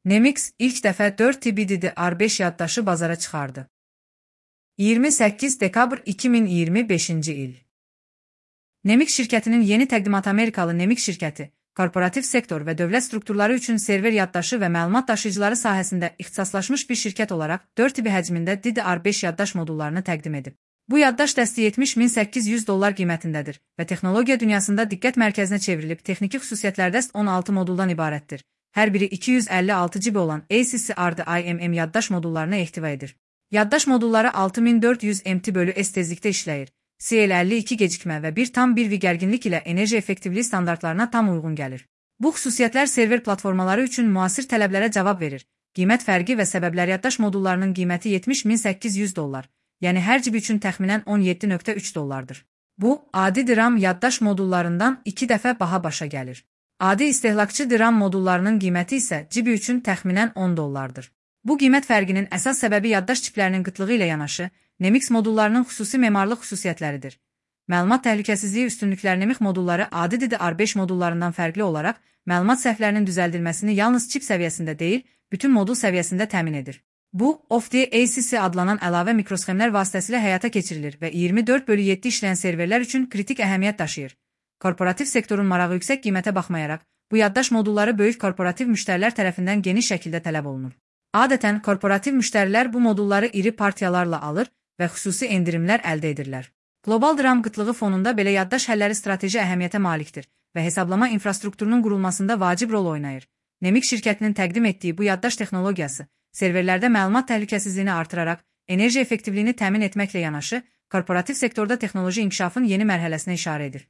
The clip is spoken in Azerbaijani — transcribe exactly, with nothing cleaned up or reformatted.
Nemix ilk dəfə dörd T B D D R beş yaddaşı bazara çıxardı. iyirmi səkkiz dekabr iki min iyirmi beşinci il. Nemix şirkətinin yeni təqdimat Amerikalı Nemix şirkəti, korporativ sektor və dövlət strukturları üçün server yaddaşı və məlumat daşıyıcıları sahəsində ixtisaslaşmış bir şirkət olaraq dörd T B həcmində D D R beş yaddaş modullarını təqdim edib. Bu yaddaş dəsti yetmiş min səkkiz yüz dollar qiymətindədir və texnologiya dünyasında diqqət mərkəzinə çevrilib texniki xüsusiyyətlərdə on altı moduldan ibarətdir. Hər biri iki yüz əlli altı giqabayt olan A C C R D I M M yaddaş modullarını ehtiva edir. Yaddaş modulları altı min dörd yüz M T bölü S tezlikdə işləyir. C L əlli iki gecikmə və bir tam bir V gərginlik ilə enerji effektivliyi standartlarına tam uyğun gəlir. Bu xüsusiyyətlər server platformaları üçün müasir tələblərə cavab verir. Qiymət fərqi və səbəblər yaddaş modullarının qiyməti yetmiş min səkkiz yüz dollar, yəni hər cibi üçün təxminən on yeddi nöqtə üç dollardır. Bu, adi DRAM yaddaş modullarından iki dəfə baha başa gəlir. Adi istehlakçı DRAM modullarının qiyməti isə cibi üçün təxminən on dollardır. Bu qiymət fərqinin əsas səbəbi yaddaş çiplərinin qıtlığı ilə yanaşı, Nemix modullarının xüsusi memarlıq xüsusiyyətləridir. Məlumat təhlükəsizliyi üstünlüklər Nemix modulları adi D D R beş modullarından fərqli olaraq, məlumat səhvlərinin düzəldilməsini yalnız çip səviyyəsində deyil, bütün modul səviyyəsində təmin edir. Bu, O F D A C C adlanan əlavə mikrosxemlər vasitəsilə həyata keçirilir və iyirmi dörd bölü yeddi işləyən serverlər üçün kritik əhəmiyyət daşıyır. Korporativ sektorun marağı yüksək qiymətə baxmayaraq, bu yaddaş modulları böyük korporativ müştərilər tərəfindən geniş şəkildə tələb olunur. Adətən, korporativ müştərilər bu modulları iri partiyalarla alır və xüsusi endirimlər əldə edirlər. Qlobal DRAM qıtlığı fonunda belə yaddaş həlləri strateji əhəmiyyətə malikdir və hesablama infrastrukturunun qurulmasında vacib rol oynayır. Nemix şirkətinin təqdim etdiyi bu yaddaş texnologiyası, serverlərdə məlumat təhlükəsizliyini artıraraq, enerji effektivliyini təmin etməklə yanaşı, korporativ sektorda texnoloji inkişafın yeni mərhələsinə işarə edir.